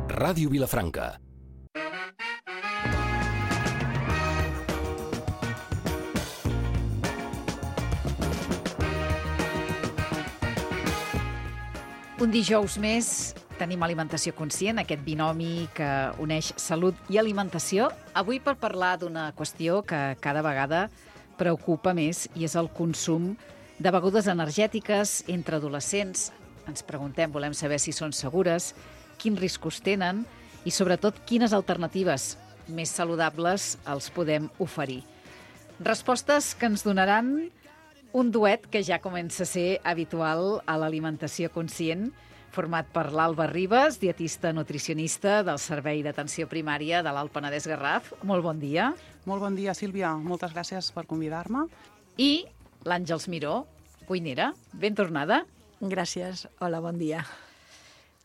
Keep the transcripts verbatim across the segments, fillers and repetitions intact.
Ràdio Vilafranca. Un dijous més tenim Alimentació Conscient, aquest binomi que uneix salut i alimentació. Avui per parlar d'una qüestió que cada vegada preocupa més i és el consum de begudes energètiques entre adolescents. Ens preguntem, volem saber si són segures, quins riscos tenen i sobretot quines alternatives més saludables els podem oferir. Respostes que ens donaran un duet que ja comença a ser habitual a l'Alimentació Conscient, format per l'Alba Ribas, dietista nutricionista del Servei d'Atenció Primària de l'Alt Penedès Garraf. Molt bon dia. Molt bon dia, Sílvia. Moltes gràcies per convidar-me. I l'Àngels Miró, cuinera. Ben tornada. Gràcies. Hola, bon dia.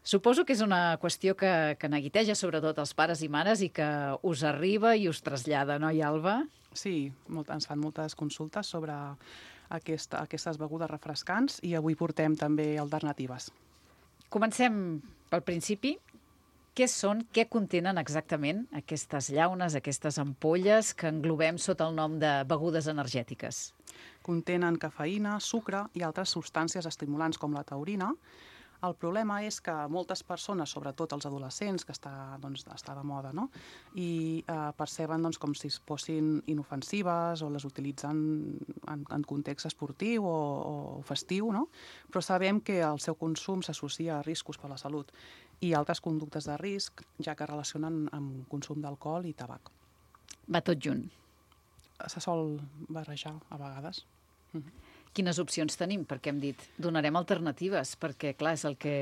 Suposo que és una qüestió que, que neguiteja sobretot els pares i mares i que us arriba i us trasllada, no, Alba? Sí, molt, ens fan moltes consultes sobre aquesta, aquestes begudes refrescants i avui portem també alternatives. Comencem pel principi. Què són, què contenen exactament aquestes llaunes, aquestes ampolles que englobem sota el nom de begudes energètiques? Contenen cafeïna, sucre i altres substàncies estimulants com la taurina. El problema és que moltes persones, sobretot els adolescents, que està, doncs, està de moda, no? I eh, perceben doncs, com si fossin inofensives o les utilitzen en, en context esportiu o, o festiu, no? Però sabem que el seu consum s'associa a riscos per a la salut i altres conductes de risc, ja que relacionen amb consum d'alcohol i tabac. Va tot junt. Se sol barrejar a vegades. Mm-hmm. Quines opcions tenim? Perquè hem dit, donarem alternatives, perquè, clar, és el que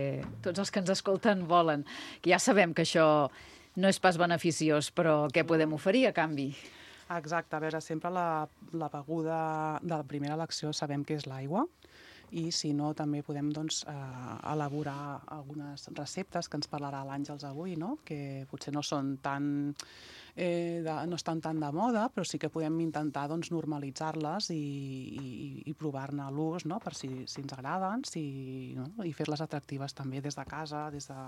tots els que ens escolten volen. Que ja sabem que això no és pas beneficiós, però què podem oferir a canvi? Exacte. A veure, sempre la, la beguda de la primera elecció sabem que és l'aigua, i si no també podem doncs, eh, elaborar algunes receptes que ens parlarà l'Àngels avui, no? Que potser no són tan eh, de, no estan tan de moda, però sí que podem intentar doncs, normalitzar-les i, i, i provar-ne l'ús, no? Per si, si ens agraden, si, no? I fer-les atractives també des de casa, des de,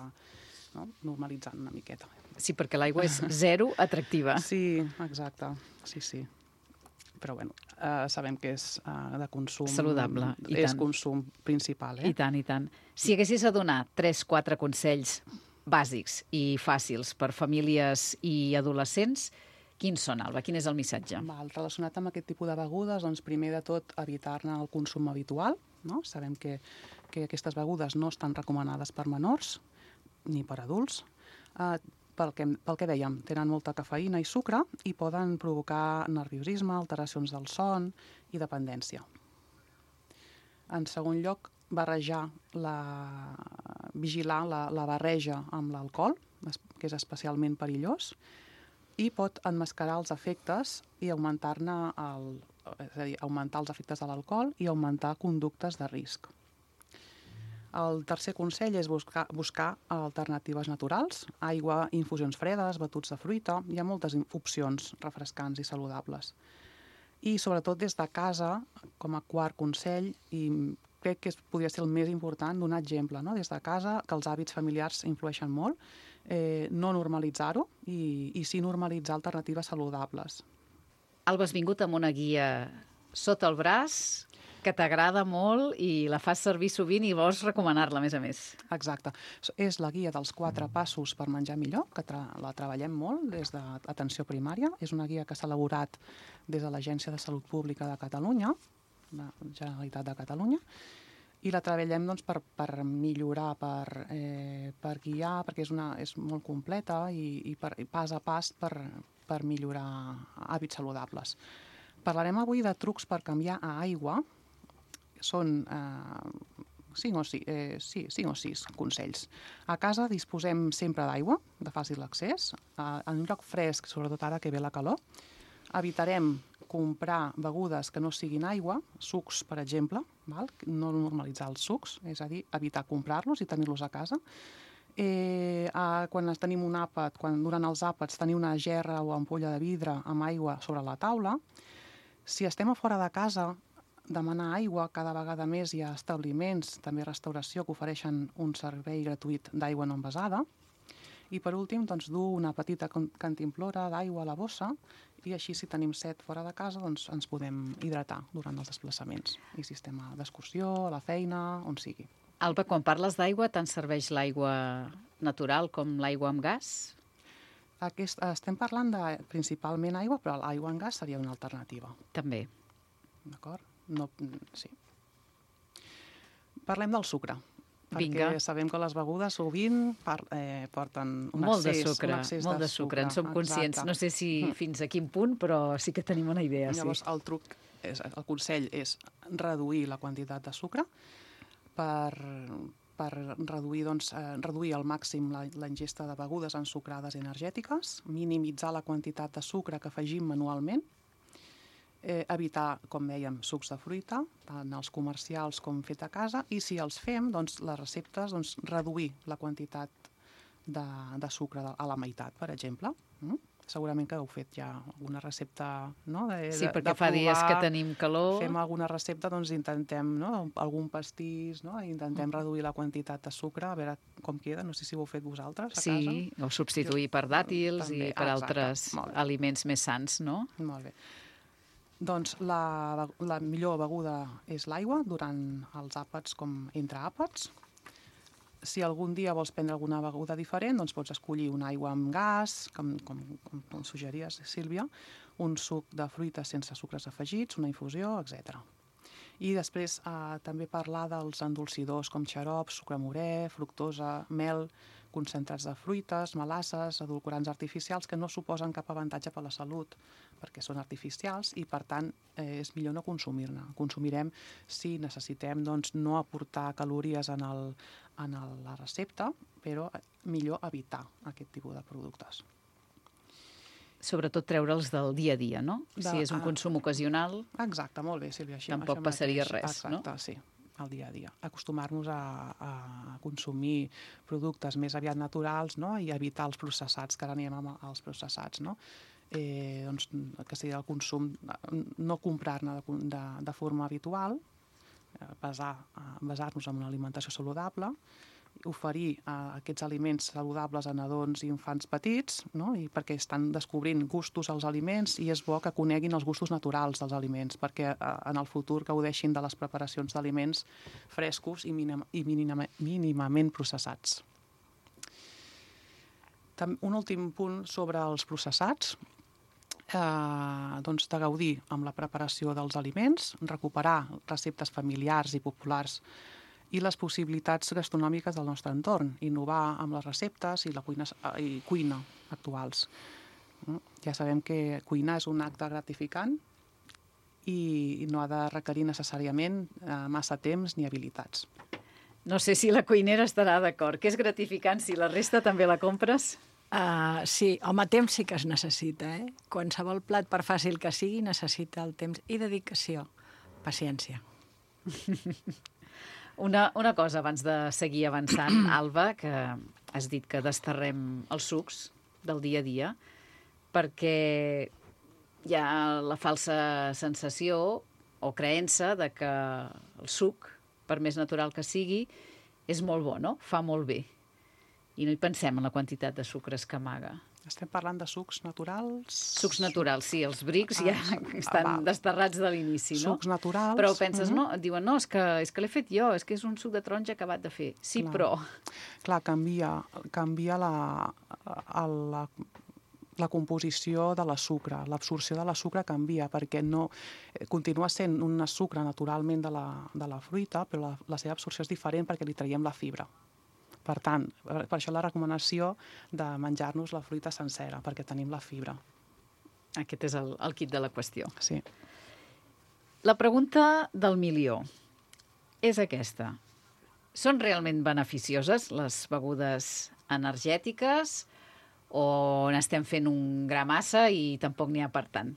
no? Normalitzant una miqueta. Sí, perquè l'aigua és zero atractiva. Sí, exacte, sí, sí. Però bueno, eh, sabem que és eh, de consum... Saludable, i és tant. consum principal, eh? I tant, i tant. Si haguessis a donar tres quatre consells bàsics i fàcils per famílies i adolescents, quins són, Alba? Quin és el missatge? Val, relacionat amb aquest tipus de begudes, doncs primer de tot evitar-ne el consum habitual, no? Sabem que, que aquestes begudes no estan recomanades per menors ni per adults. Eh, Pel que, pel que dèiem, tenen molta cafeïna i sucre i poden provocar nerviosisme, alteracions del son i dependència. En segon lloc, barrejar la, vigilar la, la barreja amb l'alcohol, que és especialment perillós, i pot emmascarar els efectes i augmentar-ne el, és a dir, augmentar els efectes de l'alcohol i augmentar conductes de risc. El tercer consell és buscar, buscar alternatives naturals, aigua, infusions fredes, batuts de fruita. Hi ha moltes opcions refrescants i saludables. I sobretot des de casa, com a quart consell, i crec que podria ser el més important, donar exemple, no? Des de casa, que els hàbits familiars influeixen molt, eh, no normalitzar-ho i, i sí normalitzar alternatives saludables. Alba, has vingut amb una guia sota el braç que t'agrada molt i la fas servir sovint i vols recomanar-la, a més a més. Exacte. És la guia dels quatre passos per menjar millor, que tra la treballem molt des d'Atenció Primària. És una guia que s'ha elaborat des de l'Agència de Salut Pública de Catalunya, la Generalitat de Catalunya, i la treballem doncs, per, per millorar, per, eh, per guiar, perquè és, una, és molt completa i, i, per, i pas a pas per, per millorar hàbits saludables. Parlarem avui de trucs per canviar a aigua. Són eh, cinc, o sis, eh, sí, cinc o sis consells. A casa disposem sempre d'aigua, de fàcil accés, eh, en un lloc fresc, sobretot ara que ve la calor. Evitarem comprar begudes que no siguin aigua, sucs, per exemple, val? No normalitzar els sucs, és a dir, evitar comprar-los i tenir-los a casa. Eh, eh, quan tenim un àpat, quan durant els àpats tenir una gerra o ampolla de vidre amb aigua sobre la taula. Si estem a fora de casa, demanar aigua. Cada vegada més hi ha establiments, també restauració, que ofereixen un servei gratuït d'aigua no envasada. I per últim, doncs, dur una petita cantimplora d'aigua a la bossa i així, si tenim set fora de casa, doncs ens podem hidratar durant els desplaçaments. I si estem d'excursió, a la feina, on sigui. Alba, quan parles d'aigua, tant serveix l'aigua natural com l'aigua amb gas? Aquest, estem parlant de principalment aigua, però l'aigua amb gas seria una alternativa. També. D'acord? No, sí. Parlem del sucre. Vinga. Perquè sabem que les begudes sovint par, eh, porten un molt excés, de sucre, un excés molt de de sucre, sucre. en som conscients. Exacte. No sé si fins a quin punt, però sí que tenim una idea. Llavors, sí. el truc, és, el consell és reduir la quantitat de sucre per, per reduir, doncs, eh, reduir al màxim la, la ingesta de begudes ensucrades i energètiques, minimitzar la quantitat de sucre que afegim manualment, eh, evitar, com dèiem, sucs de fruita, tant els comercials com fet a casa, i si els fem, doncs, les receptes, doncs, reduir la quantitat de, de sucre a la meitat, per exemple. Mm? Segurament que heu fet ja alguna recepta, no? De, Sí, de, perquè de fa provar, dies que tenim calor. Fem alguna recepta, doncs intentem, no? Algun pastís, no? Intentem mm. reduir la quantitat de sucre, a veure com queda. No sé si ho heu fet vosaltres a sí, casa. Sí, o substituir per dàtils També. i per ah, altres aliments més sans, no? Molt bé. Doncs la, la millor beguda és l'aigua durant els àpats com entre àpats. Si algun dia vols prendre alguna beguda diferent, doncs pots escollir una aigua amb gas, com, com, com, com suggeries, Sílvia, un suc de fruita sense sucres afegits, una infusió, etcètera. I després eh, també parlar dels endolcidors com xarop, sucre morè, fructosa, mel, concentrats de fruites, melasses, edulcorants artificials que no suposen cap avantatge per a la salut perquè són artificials i, per tant, eh, és millor no consumir-ne. Consumirem si necessitem, doncs, no aportar calories en, el, en el, la recepta, però millor evitar aquest tipus de productes. Sobretot treure'ls del dia a dia, no? De, si és un consum ocasional... Exacte, molt bé, Sílvia. Així, tampoc això passaria mateix. res, Exacte, no? Exacte, sí, al dia a dia. Acostumar-nos a, a consumir productes més aviat naturals, no? I evitar els processats, que ara anem als processats, no? Eh, doncs, que sigui el consum, no comprar-ne de, de, de forma habitual, basar, basar-nos en una alimentació saludable, oferir eh, aquests aliments saludables a nadons i infants petits, no? I perquè estan descobrint gustos als aliments i és bo que coneguin els gustos naturals dels aliments, perquè eh, en el futur gaudeixin de les preparacions d'aliments frescos i, minim, i mínima, mínimament processats. Tam, un últim punt sobre els processats, eh, doncs de gaudir amb la preparació dels aliments, recuperar receptes familiars i populars i les possibilitats gastronòmiques del nostre entorn, innovar amb les receptes i la cuina, i cuina actuals. Ja sabem que cuinar és un acte gratificant i no ha de requerir necessàriament massa temps ni habilitats. No sé si la cuinera estarà d'acord. Que és gratificant si la resta també la compres? Uh, sí, home, temps sí que es necessita, eh? Qualsevol plat, per fàcil que sigui, necessita el temps i dedicació. Paciència. Una, una cosa abans de seguir avançant, Alba, que has dit que desterrem els sucs del dia a dia, perquè hi ha la falsa sensació o creença de que el suc, per més natural que sigui, és molt bo, no? Fa molt bé. I no hi pensem en la quantitat de sucres que amaga. Estem parlant de sucs naturals? Sucs naturals, sí. Els brics ja ah, estan ah, desterrats de l'inici, no? Sucs naturals. Però penses, uh-huh. no? Et diuen, no, és que, és que l'he fet jo, és que és un suc de taronja acabat de fer. Sí, clar. Però... Clar, canvia, canvia la, la, la composició de la sucre. L'absorció de la sucre canvia, perquè no continua sent un sucre naturalment de la, de la fruita, però la, la seva absorció és diferent perquè li traiem la fibra. Per tant, per això la recomanació de menjar-nos la fruita sencera, perquè tenim la fibra. Aquest és el, el kit de la qüestió. Sí. La pregunta del milió és aquesta. Són realment beneficioses les begudes energètiques o n'estem fent un gra massa i tampoc n'hi ha per tant?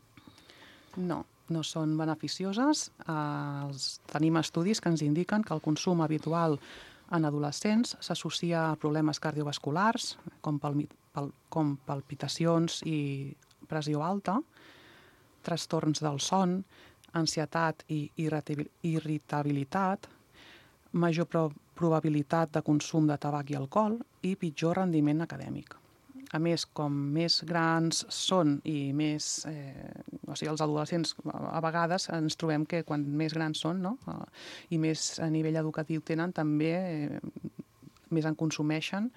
No, no són beneficioses. Eh, tenim estudis que ens indiquen que el consum habitual en adolescents s'associa a problemes cardiovasculars, com, palmi, pal, com palpitacions i pressió alta, trastorns del son, ansietat i irritabilitat, major pro, probabilitat de consum de tabac i alcohol i pitjor rendiment acadèmic. A més, com més grans són i més... Eh, o sigui, els adolescents a vegades ens trobem que quan més grans són, no? Uh, i més a nivell educatiu tenen, també eh, més en consumeixen,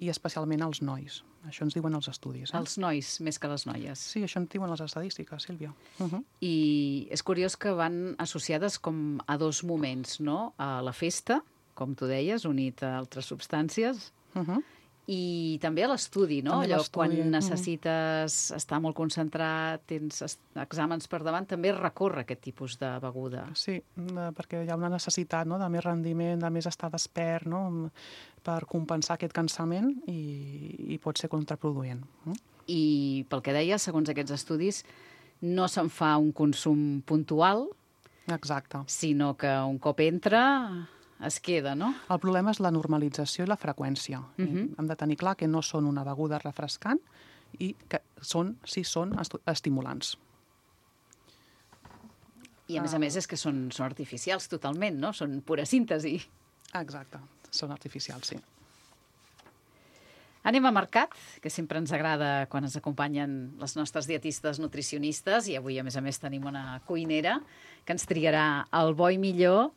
i especialment els nois. Això ens diuen els estudis. Eh? Els nois, més que les noies. Sí, això ens diuen les estadístiques, Sílvia. Uh -huh. I és curiós que van associades com a dos moments, no? A la festa, com tu deies, unit a altres substàncies, Uh -huh. i també a l'estudi, no? També a Allò, quan l'estudi, necessites estar molt concentrat, tens exàmens per davant, també recorre aquest tipus de beguda. Sí, eh, perquè hi ha una necessitat, no?, de més rendiment, de més estar despert, no?, per compensar aquest cansament, i, i pot ser contraproduent. Mm? I pel que deia, segons aquests estudis, no se'n fa un consum puntual, Exacte. sinó que un cop entra es queda, no? El problema és la normalització i la freqüència. Uh -huh. Hem de tenir clar que no són una beguda refrescant i que són, sí són estimulants. I a més a més és que són, són artificials totalment, no? Són pura síntesi. Exacte, són artificials, sí. Anem a mercat, que sempre ens agrada quan ens acompanyen les nostres dietistes nutricionistes, i avui, a més a més, tenim una cuinera que ens triarà el bo i millor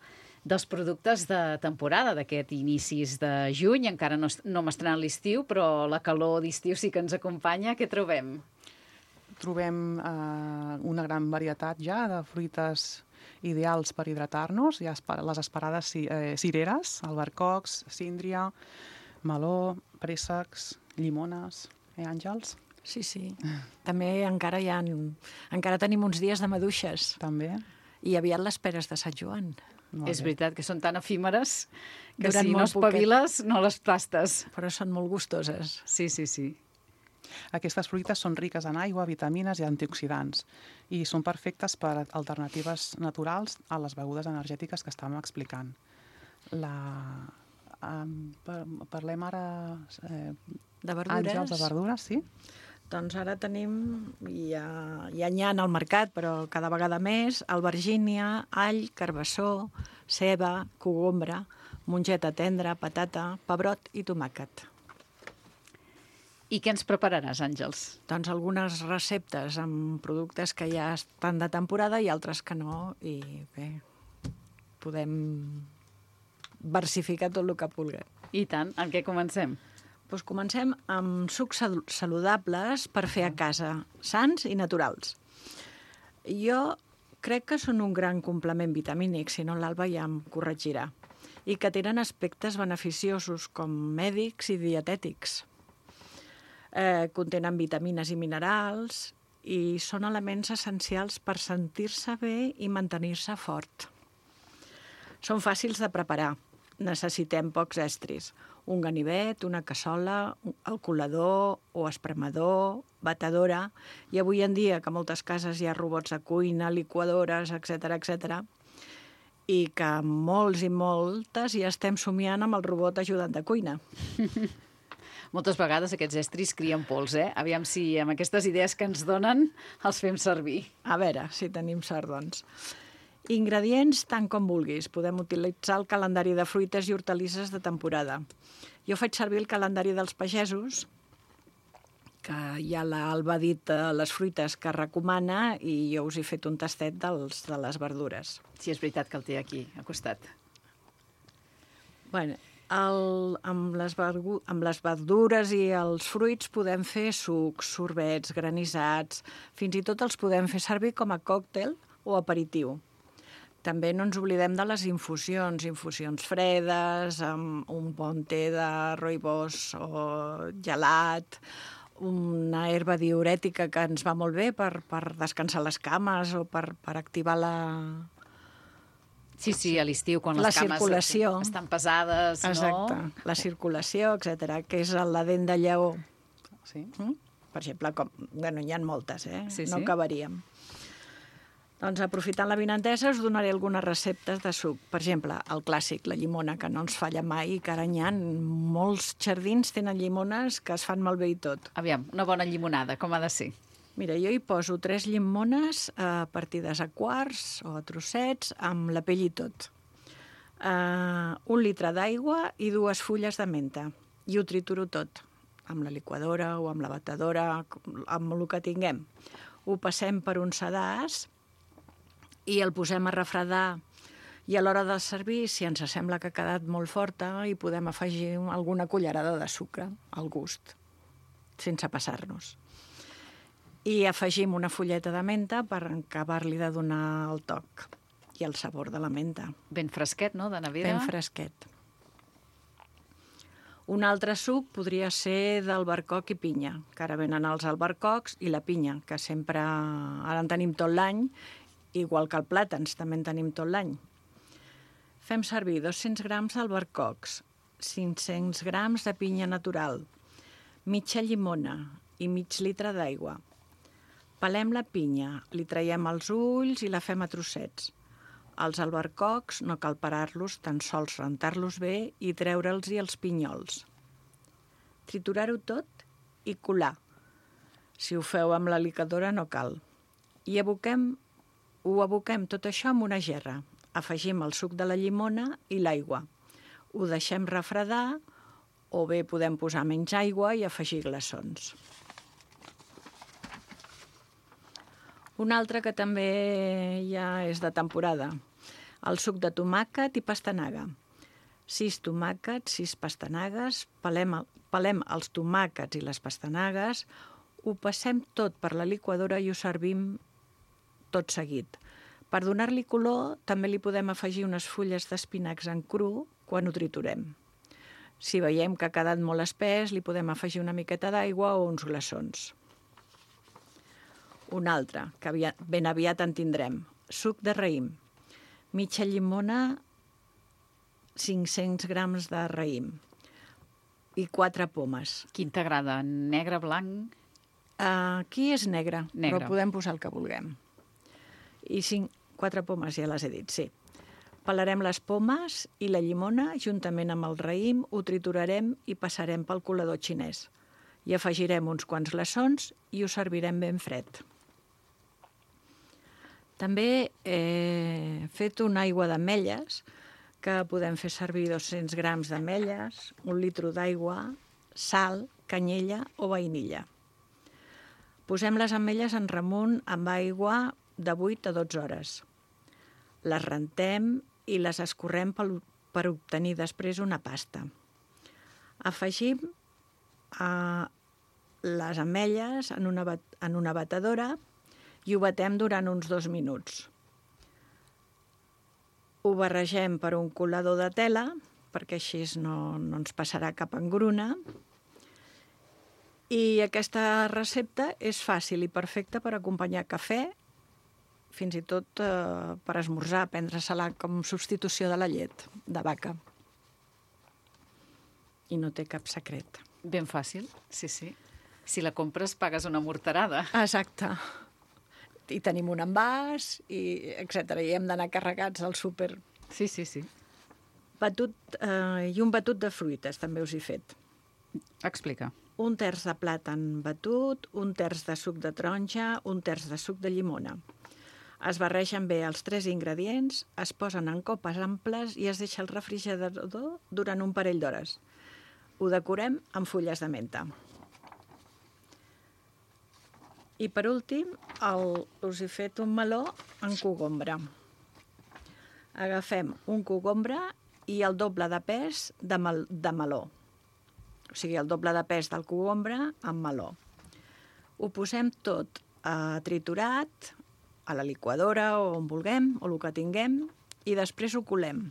dels productes de temporada, d'aquest inicis de juny. Encara no, no hem estrenat l'estiu, però la calor d'estiu sí que ens acompanya. Què trobem? Trobem eh, una gran varietat ja de fruites ideals per hidratar-nos. Hi ha les esperades eh, cireres, albercocs, síndria, meló, préssecs, llimones, eh, Àngels? Sí, sí. També encara hi ha... Encara tenim uns dies de maduixes. També. I aviat les peres de Sant Joan. Molt és bé. Veritat que són tan efímeres que Duran si no espaviles poquet. No les tastes. Però són molt gustoses. Sí, sí, sí. Aquestes fruites són riques en aigua, vitamines i antioxidants i són perfectes per alternatives naturals a les begudes energètiques que estàvem explicant. La... Um, parlem ara... Eh, de verdures. Àngels, de verdures, sí. Doncs ara tenim, ja, ja n'hi ha al mercat, però cada vegada més, albergínia, all, carbassó, ceba, cogombra, mongeta tendra, patata, pebrot i tomàquet. I què ens prepararàs, Àngels? Doncs algunes receptes amb productes que ja estan de temporada i altres que no, i bé, podem versificar tot el que vulguem. I tant, amb què comencem? Doncs comencem amb sucs saludables per fer a casa, sans i naturals. Jo crec que són un gran complement vitamínic, si no l'Alba ja em corregirà, i que tenen aspectes beneficiosos com mèdics i dietètics. Eh, contenen vitamines i minerals i són elements essencials per sentir-se bé i mantenir-se fort. Són fàcils de preparar. Necessitem pocs estris. Un ganivet, una cassola, el colador o espremador, batedora, i avui en dia que a moltes cases hi ha robots de cuina, liquadores, etcètera, etcètera, i que molts i moltes ja estem somiant amb el robot ajudant de cuina. Moltes vegades aquests estris crien pols, eh? Aviam si amb aquestes idees que ens donen els fem servir. A veure, si tenim sort, doncs. Ingredients tant com vulguis. Podem utilitzar el calendari de fruites i hortalisses de temporada. Jo faig servir el calendari dels pagesos, que ja l'Alba ha dit les fruites que recomana, i jo us he fet un tastet dels, de les verdures. Sí, és veritat que el té aquí, al costat. Bueno, el, amb, les vergu, amb les verdures i els fruits podem fer sucs, sorbets, granissats, fins i tot els podem fer servir com a còctel o aperitiu. També no ens oblidem de les infusions, infusions fredes, amb un bon té de rooibos o gelat, una herba diürètica que ens va molt bé per, per descansar les cames o per, per activar la... Sí, sí, a l'estiu, quan les la cames circulació. Estan pesades, Exacte. no? La circulació, etcètera, que és la dent de lleó. Sí. Mm? Per exemple, com... bueno, n'hi ha moltes, eh? Sí, no sí. acabaríem. Doncs aprofitant l'avinentesa us donaré algunes receptes de suc. Per exemple, el clàssic, la llimona, que no ens falla mai i que ara n'hi ha. Molts jardins tenen llimones que es fan malbé i tot. Aviam, una bona llimonada, com ha de ser? Mira, jo hi poso tres llimones eh, partides a quarts o a trossets, amb la pell i tot. Eh, un litre d'aigua i dues fulles de menta. I ho trituro tot. amb la liquadora o amb la batedora, amb el que tinguem. Ho passem per un sedàs i el posem a refredar, i a l'hora de servir, si ens sembla que ha quedat molt forta, hi podem afegir alguna cullerada de sucre al gust, sense passar-nos. I afegim una fulleta de menta per acabar-li de donar el toc i el sabor de la menta. Ben fresquet, no?, de nevera. Ben fresquet. Un altre suc podria ser d'albercoc i pinya, que ara venen els albercocs i la pinya, que sempre ara en tenim tot l'any, igual que el plàtans, també en tenim tot l'any. Fem servir dos-cents grams d'albercocs, cinc-cents grams de pinya natural, mitja llimona i mig litre d'aigua. Pelem la pinya, li traiem els ulls i la fem a trossets. Els albercocs no cal parar-los, tan sols rentar-los bé i treure'ls-hi els pinyols. Triturar-ho tot i colar. Si ho feu amb la liquadora no cal. I aboquem, ho aboquem tot això en una gerra. Afegim el suc de la llimona i l'aigua. Ho deixem refredar o bé podem posar menys aigua i afegir glaçons. Un altre que també ja és de temporada, el suc de tomàquet i pastanaga. Sis tomàquets, sis pastanagues, pelem, pelem els tomàquets i les pastanagues, ho passem tot per la liquadora i ho servim tot seguit. Per donar-li color, també li podem afegir unes fulles d'espinacs en cru quan ho triturem. Si veiem que ha quedat molt espès, li podem afegir una miqueta d'aigua o uns glaçons. Un altre, que aviat, ben aviat en tindrem, suc de raïm. Mitja llimona, cinc-cents grams de raïm i quatre pomes. Quin t'agrada? Negre, blanc? Uh, aquí és negre, negre, però podem posar el que vulguem. I cinc, quatre pomes, ja les he dit, sí. Pelarem les pomes i la llimona, juntament amb el raïm, ho triturarem i passarem pel colador xinès. Hi afegirem uns quants glaçons i ho servirem ben fred. També he fet una aigua d'ametlles, que podem fer servir dos-cents grams d'ametlles, un litre d'aigua, sal, canyella o vainilla. Posem les ametlles en remunt amb aigua de vuit a dotze hores. Les rentem i les escorrem per obtenir després una pasta. Afegim eh, les ametlles en una, en una batedora i ho batem durant uns dos minuts. Ho barregem per un colador de tela, perquè així no, no ens passarà cap engruna. I aquesta recepta és fàcil i perfecta per acompanyar cafè, fins i tot eh, per esmorzar, prendre-se-la com substitució de la llet de vaca. I no té cap secret. Ben fàcil, sí, sí. Si la compres, pagues una morterada. Exacte. I tenim un envàs, i etcètera. I hem d'anar carregats al súper. Sí, sí, sí. Batut, eh, I un batut de fruites, també us he fet. Explica. Un terç de plàtan batut, un terç de suc de taronja, un terç de suc de llimona. Es barregen bé els tres ingredients, es posen en copes amples i es deixa al refrigerador durant un parell d'hores. Ho decorem amb fulles de menta. I per últim, el, us he fet un meló en cogombre. Agafem un cogombre i el doble de pes de, mel, de meló. O sigui, el doble de pes del cogombre amb meló. Ho posem tot eh, triturat a la liquadora o on vulguem, o el que tinguem, i després ho colem.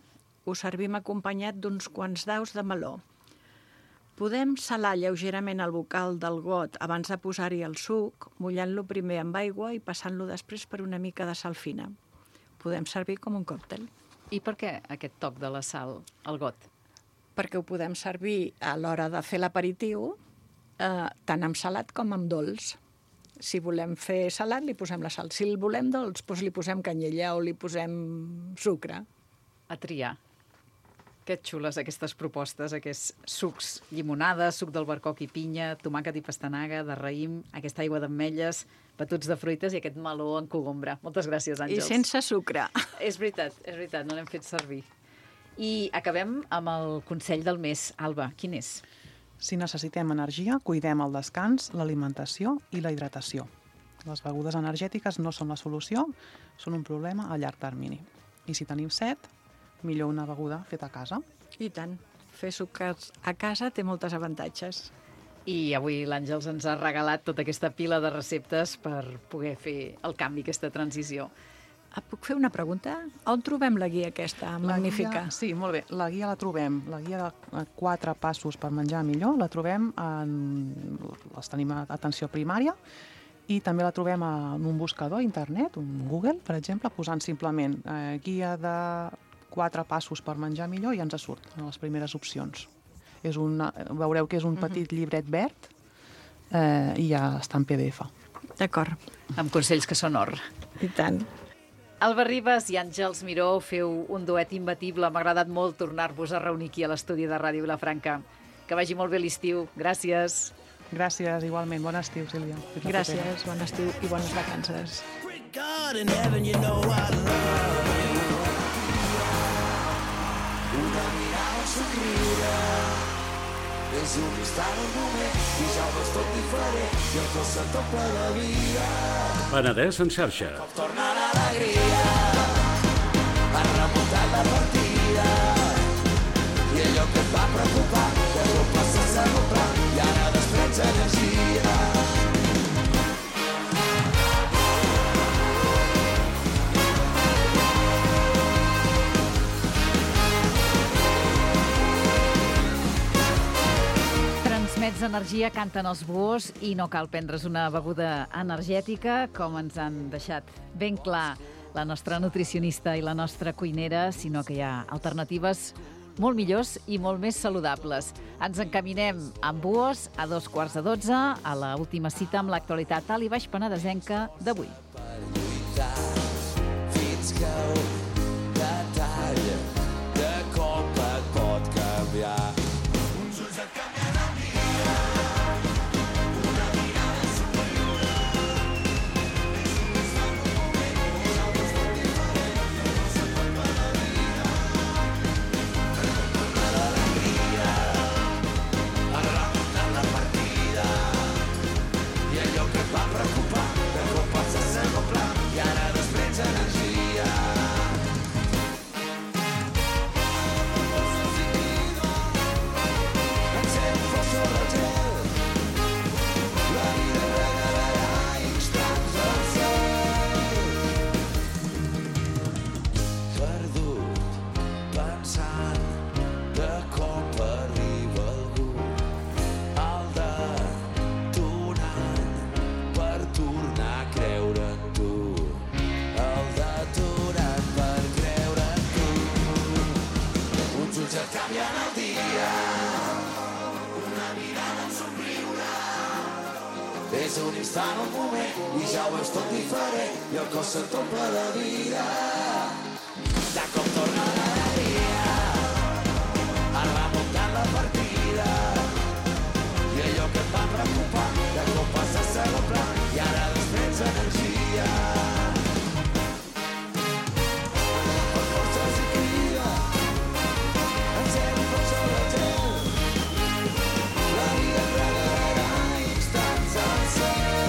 Ho servim acompanyat d'uns quants daus de meló. Podem salar lleugerament el bocal del got abans de posar-hi el suc, mullant-lo primer amb aigua i passant-lo després per una mica de sal fina. Podem servir com un còctel. I per què aquest toc de la sal al got? Perquè ho podem servir a l'hora de fer l'aperitiu, eh, tant amb salat com amb dolç. Si volem fer salat, li posem la sal. Si el volem dolç, doncs li posem canyella o li posem sucre. A triar. Que xules aquestes propostes, aquests sucs, llimonada, suc d'albercoc i pinya, tomàquet i pastanaga, de raïm, aquesta aigua d'ametlles, batuts de fruites i aquest meló en cogombre. Moltes gràcies, Àngels. I sense sucre. És veritat, és veritat, no l'hem fet servir. I acabem amb el consell del mes. Alba, quin és? Si necessitem energia, cuidem el descans, l'alimentació i la hidratació. Les begudes energètiques no són la solució, són un problema a llarg termini. I si tenim set, millor una beguda feta a casa. I tant. Fer sucres a casa té moltes avantatges. I avui l'Àngels ens ha regalat tota aquesta pila de receptes per poder fer el canvi, aquesta transició. Puc fer una pregunta? On trobem la guia aquesta magnífica? La guia, sí, molt bé. La guia la trobem, la guia de quatre passos per menjar millor, la trobem en... les tenim a atenció primària i també la trobem en un buscador a internet, un Google, per exemple, posant simplement eh, guia de quatre passos per menjar millor i ens surt en les primeres opcions. És una, veureu que és un petit llibret verd eh, i ja està en P D F. D'acord. Amb consells que són or. I tant. Alba Ribas i Àngels Miró, feu un duet imbatible. M'ha agradat molt tornar-vos a reunir aquí a l'estudi de Ràdio Vilafranca. Que vagi molt bé l'estiu. Gràcies. Gràcies, igualment. Bon estiu, Sílvia. Gràcies, bon estiu i bones vacances. God in heaven, you know I love you. Una mirada somriure és un instant, un moment i ja ho veus tot diferent i el cos se't omple de vida. Penedès en xarxa. Com torna l'alegria, has remuntat la partida i allò que et va preocupar de cop passa a segon pla i ara desprens energia. Transmets energia, canten els búhos i no cal prendre's una beguda energètica, com ens han deixat ben clar la nostra nutricionista i la nostra cuinera, sinó que hi ha alternatives molt millors i molt més saludables. Ens encaminem amb búhos a dos quarts de dotze a l'última cita amb l'actualitat alt i baix penedesenca d'avui. Per lluitar fins que un detall de cop et pot canviar. Uns ulls et canvien el dia, una mirada somriure. És un instant, un moment, i ja ho veus tot diferent. I el cos se't omple de vida. Torna l'alegria, has remuntat la partida i allò que et va preocupar de cop passa a segon pla i ara desprens energia. Encén foc sobre el gel, la vida regalarà instants al cel. Perdut, pensant, de cop arriba algú, el detonant per tornar a creure en tu. El detonant per creure en tu. Uns ulls et canvien el dia, una mirada, un somriure. És un instant, un moment, i ja ho veus tot diferent i el cos se't omple de vida. De cop torna l'alegria, has remuntat la partida i allò que et va preocupar de cop passa a segon pla i ara desprens energia. Per forces i crida, encén foc sobre el gel, la vida et regalarà instants al cel.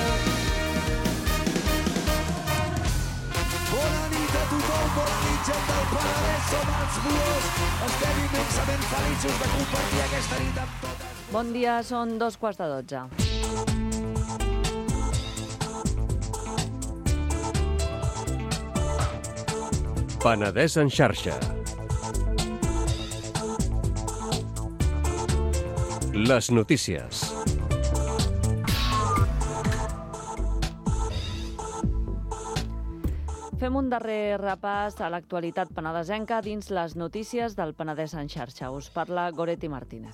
Bona nit a tothom, bona nit gent del Penedès, som els Búhos. Estem immensament feliços de compartir aquesta nit amb totes. Bon dia, són dos quarts de dotze. Penedès en xarxa. Les notícies. Fem un darrer repàs a l'actualitat penedesenca dins les notícies del Penedès en xarxa. Us parla Goretti Martínez.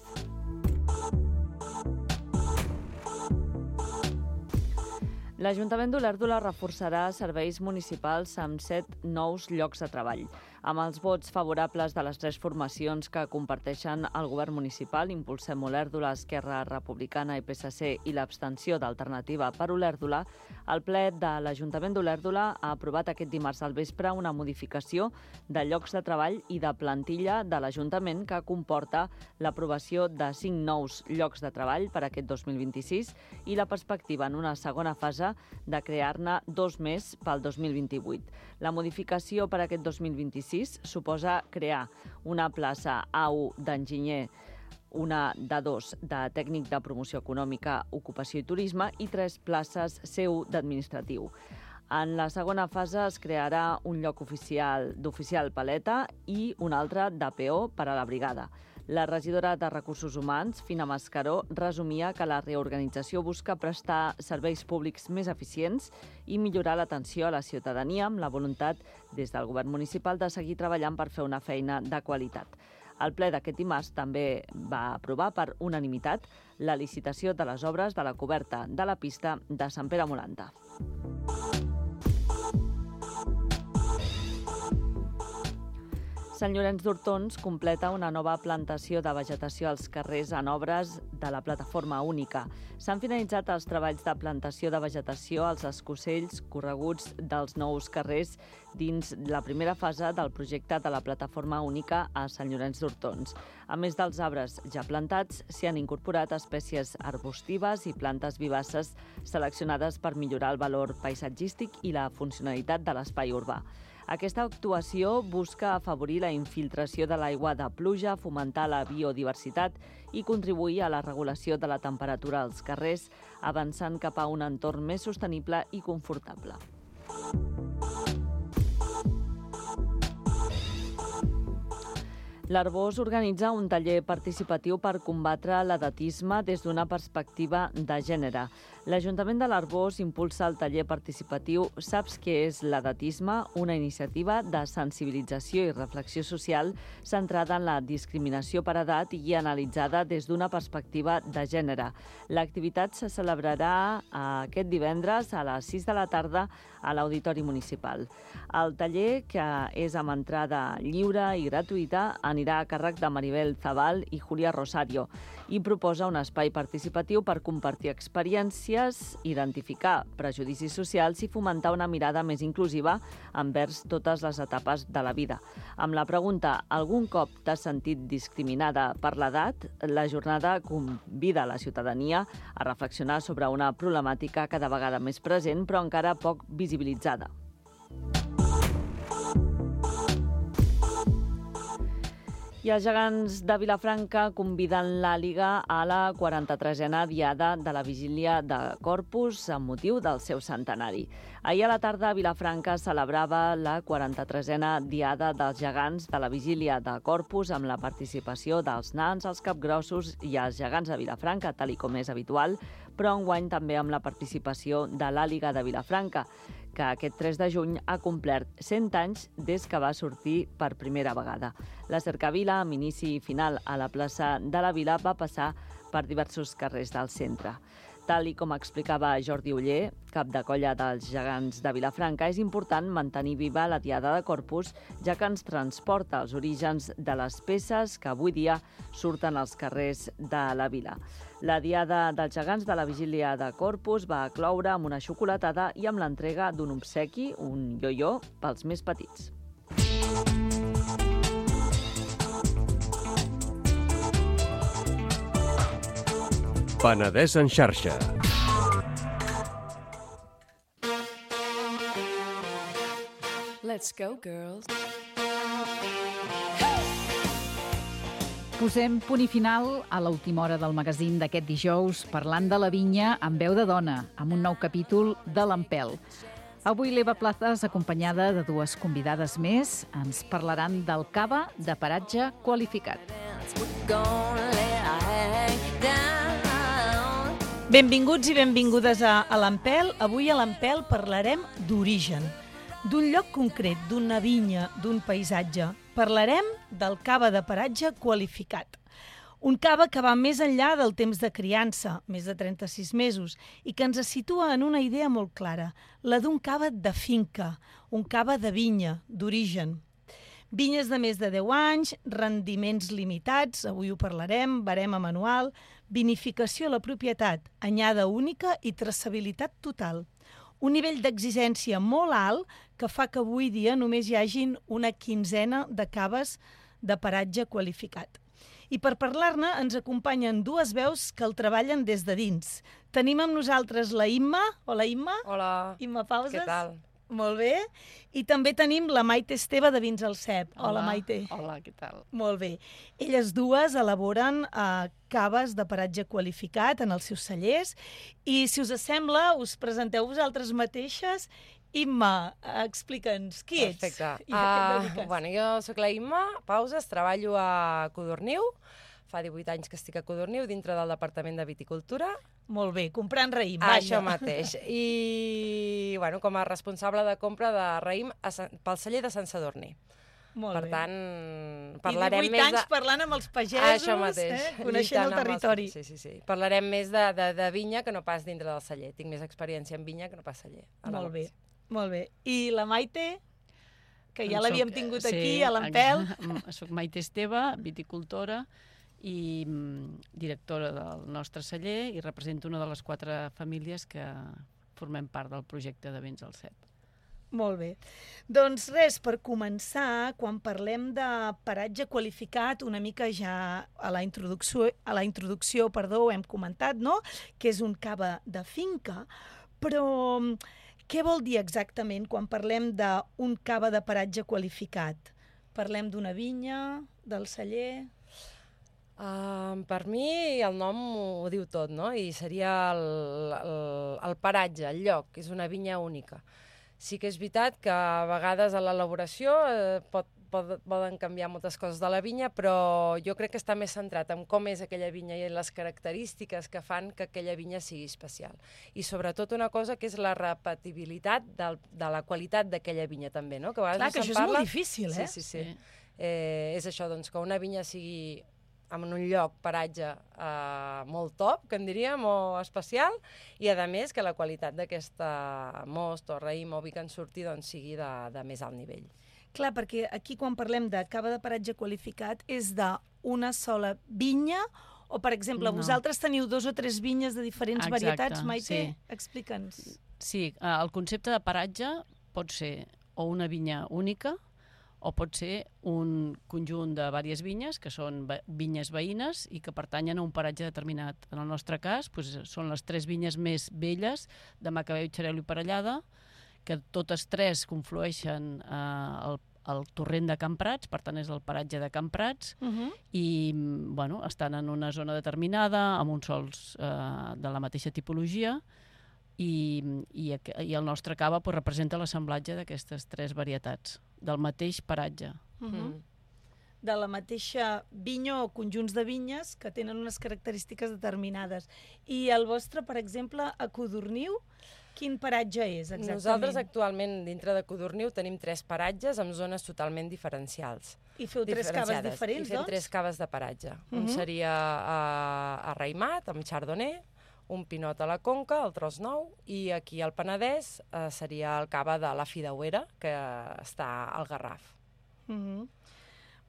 L'Ajuntament d'Olèrdola reforçarà serveis municipals amb set nous llocs de treball. Amb els vots favorables de les tres formacions que comparteixen el govern municipal, Impulsem Olèrdola, Esquerra Republicana i P S C, i l'abstenció d'Alternativa per Olèrdola, el ple de l'Ajuntament d'Olèrdola ha aprovat aquest dimarts al vespre una modificació de llocs de treball i de plantilla de l'Ajuntament que comporta l'aprovació de cinc nous llocs de treball per aquest dos mil vint-i-sis i la perspectiva en una segona fase de crear-ne dos més pel dos mil vint-i-vuit. La modificació per aquest dos mil vint-i-sis suposa crear una plaça A u d'enginyer, una d'A dos de tècnic de promoció econòmica, ocupació i turisme i tres places C u d'administratiu. En la segona fase es crearà un lloc oficial d'oficial paleta i un altre de P O per a la brigada. La regidora de Recursos Humans, Fina Mascaró, resumia que la reorganització busca prestar serveis públics més eficients i millorar l'atenció a la ciutadania amb la voluntat des del govern municipal de seguir treballant per fer una feina de qualitat. El ple d'aquest dimarts també va aprovar per unanimitat la licitació de les obres de la coberta de la pista de Sant Pere Molanta. Sant Llorenç d'Hortons completa una nova plantació de vegetació als carrers en obres de la plataforma única. S'han finalitzat els treballs de plantació de vegetació als escocells correguts dels nous carrers dins la primera fase del projecte de la plataforma única a Sant Llorenç d'Hortons. A més dels arbres ja plantats, s'hi han incorporat espècies arbustives i plantes vivaces seleccionades per millorar el valor paisatgístic i la funcionalitat de l'espai urbà. Aquesta actuació busca afavorir la infiltració de l'aigua de pluja, fomentar la biodiversitat i contribuir a la regulació de la temperatura als carrers, avançant cap a un entorn més sostenible i confortable. L'Arbós organitza un taller participatiu per combatre l'edatisme des d'una perspectiva de gènere. L'Ajuntament de l'Arbós impulsa el taller participatiu Saps què és l'edatisme? Una iniciativa de sensibilització i reflexió social centrada en la discriminació per edat i analitzada des d'una perspectiva de gènere. L'activitat se celebrarà aquest divendres a les sis de la tarda a l'Auditori Municipal. El taller, que és amb entrada lliure i gratuïta, anirà a càrrec de Maribel Zabal i Julia Rosario i proposa un espai participatiu per compartir experiències, identificar prejudicis socials i fomentar una mirada més inclusiva envers totes les etapes de la vida. Amb la pregunta "Algun cop t'has sentit discriminada per l'edat?", la jornada convida la ciutadania a reflexionar sobre una problemàtica cada vegada més present però encara poc visibilitzada. I els gegants de Vilafranca conviden l'Àliga a la quaranta-tresena diada de la Vigília de Corpus amb motiu del seu centenari. Ahir a la tarda a Vilafranca celebrava la quaranta-tresena diada dels gegants de la Vigília de Corpus amb la participació dels nans, els capgrossos i els gegants de Vilafranca, tal i com és habitual, però enguany també amb la participació de l'Àliga de Vilafranca, que aquest tres de juny ha complert cent anys des que va sortir per primera vegada. La cercavila, amb inici i final a la plaça de la Vila, va passar per diversos carrers del centre. Tal i com explicava Jordi Oller, cap de colla dels gegants de Vilafranca, és important mantenir viva la diada de Corpus, ja que ens transporta als orígens de les peces que avui dia surten als carrers de la vila. La diada dels gegants de la Vigília de Corpus va cloure amb una xocolatada i amb l'entrega d'un obsequi, un ioió, pels més petits. Penedès en xarxa. Let's go, girls. Posem punt i final a l'última hora del magazín d'aquest dijous parlant de la vinya amb veu de dona, amb un nou capítol de l'Empel. Avui l'Eva Plazas, acompanyada de dues convidades més, ens parlaran del cava de paratge qualificat. Benvinguts i benvingudes a, a l'Empel. Avui a l'Empel parlarem d'origen, d'un lloc concret, d'una vinya, d'un paisatge. Parlarem del cava de paratge qualificat. Un cava que va més enllà del temps de criança, més de trenta-sis mesos, i que ens situa en una idea molt clara, la d'un cava de finca, un cava de vinya, d'origen. Vinyes de més de deu anys, rendiments limitats, avui ho parlarem, barema manual, vinificació a la propietat, anyada única i traçabilitat total. Un nivell d'exigència molt alt que fa que avui dia només hi hagin una quinzena de caves de paratge qualificat. I per parlar-ne ens acompanyen dues veus que el treballen des de dins. Tenim amb nosaltres la Imma. Hola, Imma. Hola. Imma Pauses. Què tal? Molt bé. I també tenim la Maite Esteve de Vins al Cep. Hola, Hola, Maite. Hola, què tal? Molt bé. Elles dues elaboren uh, caves de paratge qualificat en els seus cellers i, si us sembla, us presenteu vosaltres mateixes. Imma, explica'ns, qui ets? Perfecte. I a què et Uh, dediques? bueno, jo sóc la Imma Pauses, treballo a Codorniu. Fa divuit anys que estic a Codorniu, dintre del Departament de Viticultura. Molt bé, comprant raïm, vaja. Això mateix. I, bueno, com a responsable de compra de raïm a Sant, pel celler de Sant Sadurní. Molt Per bé. tant, parlarem I divuit més anys de... parlant amb els pagesos, Això mateix. eh? Coneixent lluitant el amb els- territori. Sí, sí, sí. Parlarem més de, de, de vinya que no pas dintre del celler. Tinc més experiència en vinya que no pas celler. Molt bé, molt bé. I la Maite, que ja Doncs l'havíem soc- tingut sí, aquí, a l'Empel. ex- Soc Maite Esteve, viticultora i mm, directora del nostre celler i represento una de les quatre famílies que formem part del projecte de Vins al Cep. Molt bé. Doncs res, per començar, quan parlem de paratge qualificat, una mica ja a la introducció, a la introducció perdó, ho hem comentat, no? Que és un cava de finca, però què vol dir exactament quan parlem d'un cava de paratge qualificat? Parlem d'una vinya, del celler... Uh, per mi el nom ho diu tot, no? I seria el, el, el paratge, el lloc, és una vinya única. Sí que és veritat que a vegades a l'elaboració eh, pot, pot, poden canviar moltes coses de la vinya, però jo crec que està més centrat en com és aquella vinya i en les característiques que fan que aquella vinya sigui especial. I sobretot una cosa que és la repetibilitat del, de la qualitat d'aquella vinya també, no? Que a vegades Clar, que se'n això és parla... molt difícil, eh? Sí, sí, sí. Eh, és això, doncs, que una vinya sigui en un lloc, paratge, eh, molt top, que en diríem, o especial, i a més que la qualitat d'aquesta most o raïm o vi que en surti doncs, sigui de, de més alt nivell. Clar, perquè aquí quan parlem de cava de paratge qualificat és d'una sola vinya o, per exemple, No. vosaltres teniu dos o tres vinyes de diferents Exacte, varietats, Maite? sí. Explica'ns. Sí, eh, el concepte de paratge pot ser o una vinya única o pot ser un conjunt de diverses vinyes, que són ve- vinyes veïnes i que pertanyen a un paratge determinat. En el nostre cas, doncs, són les tres vinyes més velles de Macabeu, Xarel·lo i Parellada, que totes tres conflueixen eh, al, al torrent de Can Prats, per tant és el paratge de Can Prats, Uh -huh. i mm, bueno, estan en una zona determinada, amb uns sols eh, de la mateixa tipologia, i, i, aqu- i el nostre cava pues, representa l'assemblatge d'aquestes tres varietats, del mateix paratge. Uh -huh. Mm. De la mateixa vinya o conjunts de vinyes que tenen unes característiques determinades. I el vostre, per exemple, a Codorniu, quin paratge és exactament? Nosaltres actualment dintre de Codorniu tenim tres paratges amb zones totalment diferencials. I feu tres caves diferenciades. diferents, I fem doncs? tres caves de paratge. Mhm. Un seria uh, a Raimat, amb Chardonnay, un Pinot a la Conca, el Tros Nou, i aquí al Penedès uh, seria el cava de la Fideuera, que està al Garraf. Uh -huh.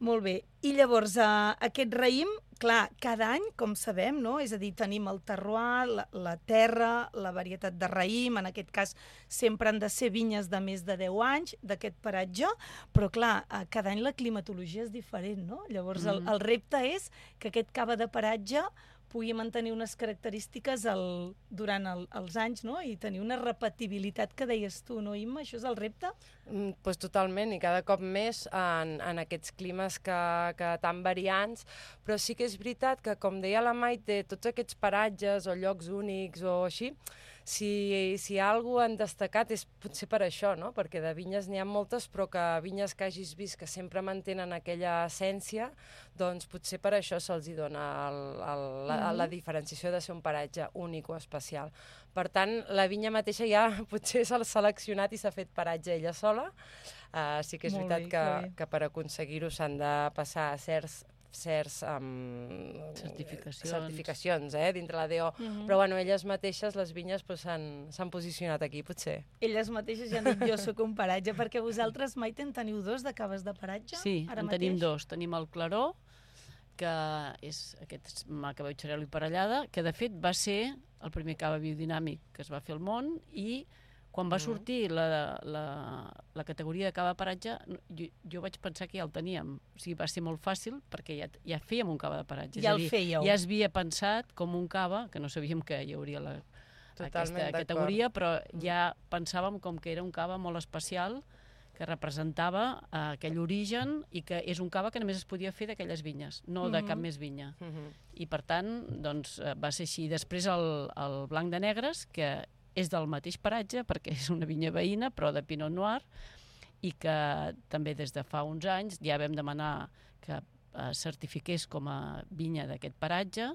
Molt bé. I llavors, uh, aquest raïm, clar, cada any, com sabem, no? És a dir, tenim el terroir, la, la terra, la varietat de raïm, en aquest cas sempre han de ser vinyes de més de deu anys d'aquest paratge, però clar, uh, cada any la climatologia és diferent, no? Llavors, el, el repte és que aquest cava de paratge pugui mantenir unes característiques el, durant el, els anys, no? I tenir una repetibilitat que deies tu, no, Imma? Això és el repte? Mm, pues totalment, i cada cop més en, en aquests climes que, que tan variants, però sí que és veritat que, com deia la Maite, tots aquests paratges o llocs únics o així, si, si hi ha alguna han destacat és potser per això, no? Perquè de vinyes n'hi ha moltes, però que vinyes que hagis vist que sempre mantenen aquella essència, doncs potser per això se'ls hi dona el, el, la, la diferenciació de ser un paratge únic o especial. Per tant, la vinya mateixa ja potser s'ha seleccionat i s'ha fet paratge ella sola. Uh, sí que és Molt veritat bé, que, que bé. que per aconseguir-ho s'han de passar certs certs um, certificacions, certificacions eh, dintre la D O, mm-hmm. però bueno, elles mateixes, les vinyes, pues, s'han posicionat aquí, potser. Elles mateixes ja han dit jo soc un paratge, perquè vosaltres mai en teniu dos de caves de paratge? Sí, ara en mateix? tenim dos. Tenim el Claró, que és aquest Macabeu Xarel·lo i Parellada, que de fet va ser el primer cava biodinàmic que es va fer al món, i quan va sortir la, la, la categoria de cava de paratge, jo, jo vaig pensar que ja el teníem. O sigui, va ser molt fàcil perquè ja, ja fèiem un cava de paratge. Ja és a dir, el fèieu. Ja es havia pensat com un cava, que no sabíem que hi hauria la, aquesta categoria, però ja pensàvem com que era un cava molt especial, que representava uh, aquell origen i que és un cava que només es podia fer d'aquelles vinyes, no de mm-hmm. cap més vinya. Mm-hmm. I per tant, doncs, va ser així. Després el, el Blanc de Negres, que és del mateix paratge, perquè és una vinya veïna, però de Pinot Noir, i que també des de fa uns anys ja vam demanar que uh, certifiqués com a vinya d'aquest paratge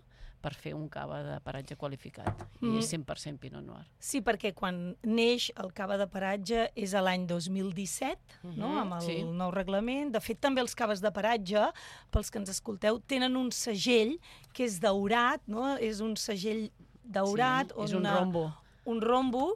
per fer un cava de paratge qualificat. Mm. I és cent per cent Pinot Noir. Sí, perquè quan neix el cava de paratge és a l'any dos mil disset, mm-hmm. no? Amb el sí. nou reglament. De fet, també els caves de paratge, pels que ens escolteu, tenen un segell que és daurat, no? És un segell daurat. Sí, és un rombo. un rombo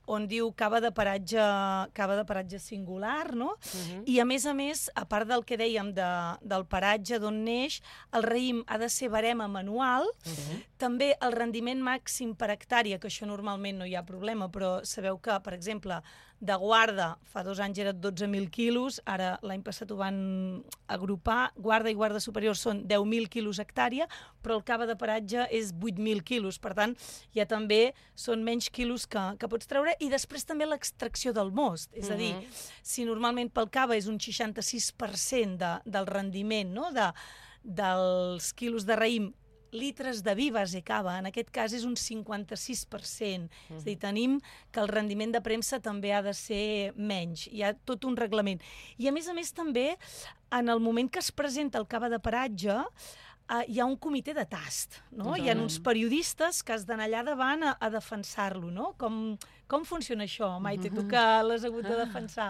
on diu cava de paratge, cava de paratge singular, no? Uh-huh. I a més a més, a part del que dèiem de, del paratge d'on neix, el raïm ha de ser barema manual, uh-huh. també el rendiment màxim per hectàrea, que això normalment no hi ha problema, però sabeu que, per exemple, de guarda, fa dos anys era dotze mil quilos, ara l'any passat ho van agrupar, guarda i guarda superior són deu mil quilos hectàrea, però el cava de paratge és vuit mil quilos, per tant, ja també són menys quilos que, que pots treure, i després també l'extracció del most, és a dir, si normalment pel cava és un seixanta-sis per cent de, del rendiment, no? de, dels quilos de raïm, litres de vi base cava, en aquest cas és un cinquanta-sis per cent. Uh-huh. És a dir, tenim que el rendiment de premsa també ha de ser menys. Hi ha tot un reglament. I a més a més també, en el moment que es presenta el cava de paratge, Uh, hi ha un comitè de tast, no? Uh-huh. Hi ha uns periodistes que has d'anar allà davant a, a defensar-lo, no? Com, com funciona això, Maite, tu que l'has hagut de defensar?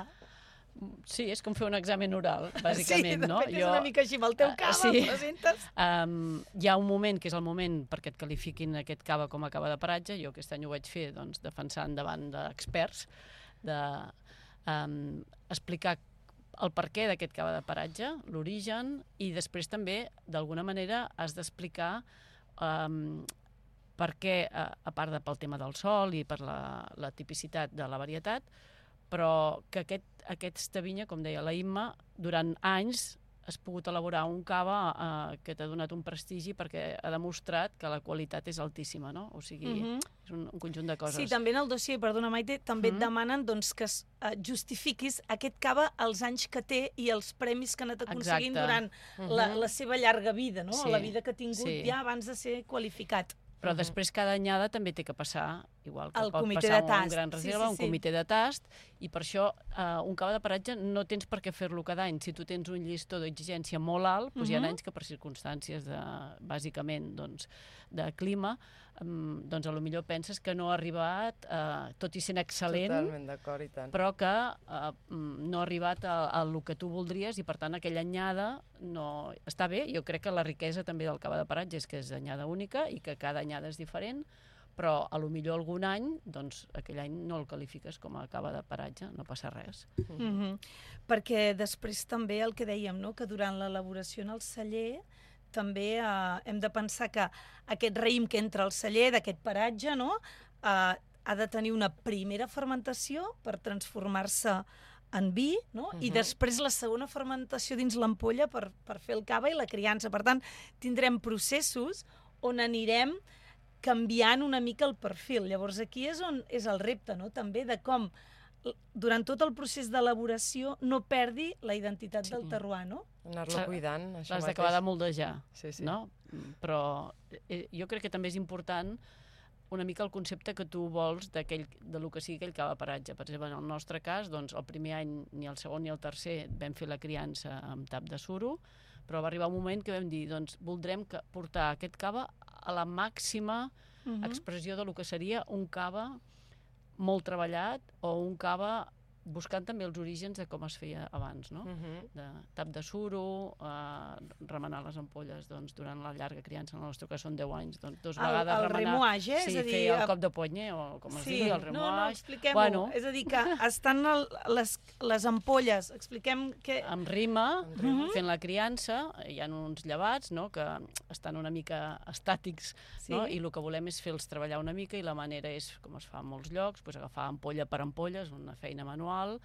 Sí, és com fer un examen oral, bàsicament, sí, no? Sí, de fet és una mica així, amb el teu cava, uh, sí. el presentes. Um, hi ha un moment que és el moment perquè et qualifiquin aquest cava com a cava de paratge. Jo aquest any ho vaig fer, doncs, defensant davant d'experts, de um, explicar el perquè d'aquest cava de paratge, l'origen, i després també, d'alguna manera, has d'explicar um, per què, a, a part de pel tema del sol i per la, la tipicitat de la varietat, però que aquest, aquesta vinya, com deia la Imma, durant anys has pogut elaborar un cava eh, que t'ha donat un prestigi perquè ha demostrat que la qualitat és altíssima, no? O sigui, uh-huh. és un, un conjunt de coses. Sí, també en el dossier, perdona Maite, també uh-huh. et demanen doncs, que uh, justifiquis aquest cava els anys que té i els premis que ha anat aconseguint Exacte. durant uh-huh. la, la seva llarga vida, no? Sí. La vida que ha tingut sí. ja abans de ser qualificat. Però uh-huh. després cada anyada també té que passar, igual que el pot passar un gran reserva, sí, sí, sí. un comitè de tast, i per això uh, un cava de paratge no tens per què fer-lo cada any. Si tu tens un llistó d'exigència molt alt, doncs uh-huh. hi ha anys que per circumstàncies de, bàsicament, doncs, de clima, um, doncs a lo millor penses que no ha arribat, uh, tot i sent excel·lent, Totalment d'acord, i tant. però que uh, no ha arribat a, a lo que tu voldries, i per tant aquella anyada no... està bé. Jo crec que la riquesa també del cava de paratge és que és anyada única i que cada anyada és diferent, però a lo millor algun any, doncs aquell any no el qualifiques com a cava de paratge, no passa res. Mm-hmm. Perquè després també el que dèiem, no? Que durant l'elaboració en el celler també eh, hem de pensar que aquest raïm que entra al celler d'aquest paratge, no? eh, ha de tenir una primera fermentació per transformar-se en vi, no? Uh-huh. I després la segona fermentació dins l'ampolla per, per fer el cava i la criança. Per tant, tindrem processos on anirem canviant una mica el perfil. Llavors aquí és on és el repte, no? També de com durant tot el procés d'elaboració no perdi la identitat sí. del terroir, no? Anar-lo cuidant, això L'has d'acabar de moldejar, sí, sí. no? Però eh, jo crec que també és important una mica el concepte que tu vols d'aquell, de lo que sigui aquell cava paratge. Per exemple, en el nostre cas, doncs, el primer any, ni el segon ni el tercer, vam fer la criança amb tap de suro, però va arribar un moment que vam dir, doncs, voldrem que portar aquest cava a la màxima uh-huh. expressió de lo que seria un cava molt treballat o un cava buscant també els orígens de com es feia abans, no? Mhm. De tap de suro, eh, remenar les ampolles doncs, durant la llarga criança, en el nostre cas són deu anys, doncs dos El- vegades el remenar... remouage, eh? Sí, És a dir, fer el a- cop de ponye, o com es Sí, diu, el no, remouage. no, expliquem-ho. Bueno, És a dir, que estan el, les, les ampolles, expliquem que... amb rima, fent la criança, hi ha uns llevats, no?, que estan una mica estàtics, Sí. no?, i el que volem és fer-los treballar una mica, i la manera és, com es fa en molts llocs, doncs agafar ampolla per ampolla, és una feina manual,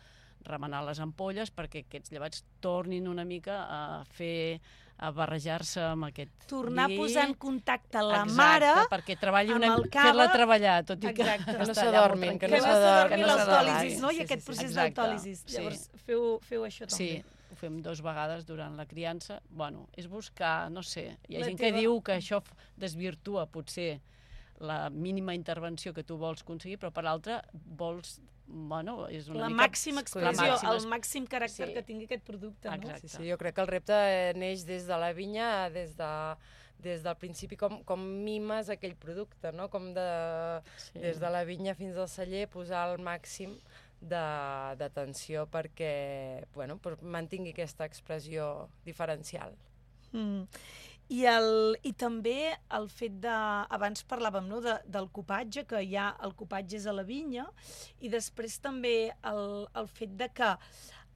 remenar les ampolles perquè aquests llevats tornin una mica a fer, a barrejar-se amb aquest Tornar vi. a posar en contacte la Exacte, mare perquè treballi amb una, el cava. fer-la treballar, tot i que, Exacte. Que no està allà molt s'adormin, que que no no tranquil·la. s'adormi que no l'autòlisis, s'adormi. no? I Sí, aquest sí, sí. procés Exacte, d'autòlisis. sí. Llavors, feu, feu això també. Sí, ho fem dues vegades durant la criança. Bueno, és buscar, no sé, hi ha La gent teva- que diu que això f- desvirtua potser la mínima intervenció que tu vols aconseguir, però per l'altra vols, bueno, és una La mica... màxima La expressió, màxima el màxim caràcter Sí. que tingui aquest producte, no? Exacte. Sí, sí, jo crec que el repte eh, neix des de la vinya, des de des del principi com, com mimes aquell producte, no? Com de, Sí. des de la vinya fins al celler posar el màxim de- d'atenció perquè bueno, pues, mantingui aquesta expressió diferencial. Mm. I, el, I també el fet de... Abans parlàvem, no?, de, del copatge, que hi ha, el copatge és a la vinya, i després també el, el fet de que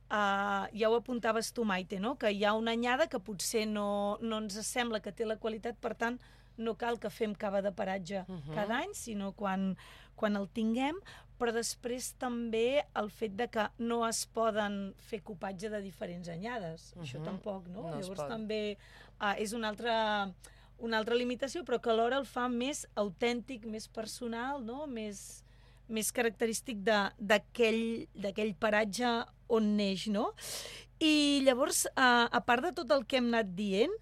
Uh, ja ho apuntaves tu, Maite, no? Que hi ha una anyada que potser no, no ens sembla que té la qualitat, per tant, no cal que fem cava de paratge Mhm. cada any, sinó quan, quan el tinguem, però després també el fet de que no es poden fer copatge de diferents anyades. Uh -huh. Això Mhm. tampoc, no? No es Llavors pot. també uh, és una altra, una altra limitació, però que alhora el fa més autèntic, més personal, no? Més, més característic de- d'aquell d'aquell paratge on neix, no? I llavors, uh, a part de tot el que hem anat dient,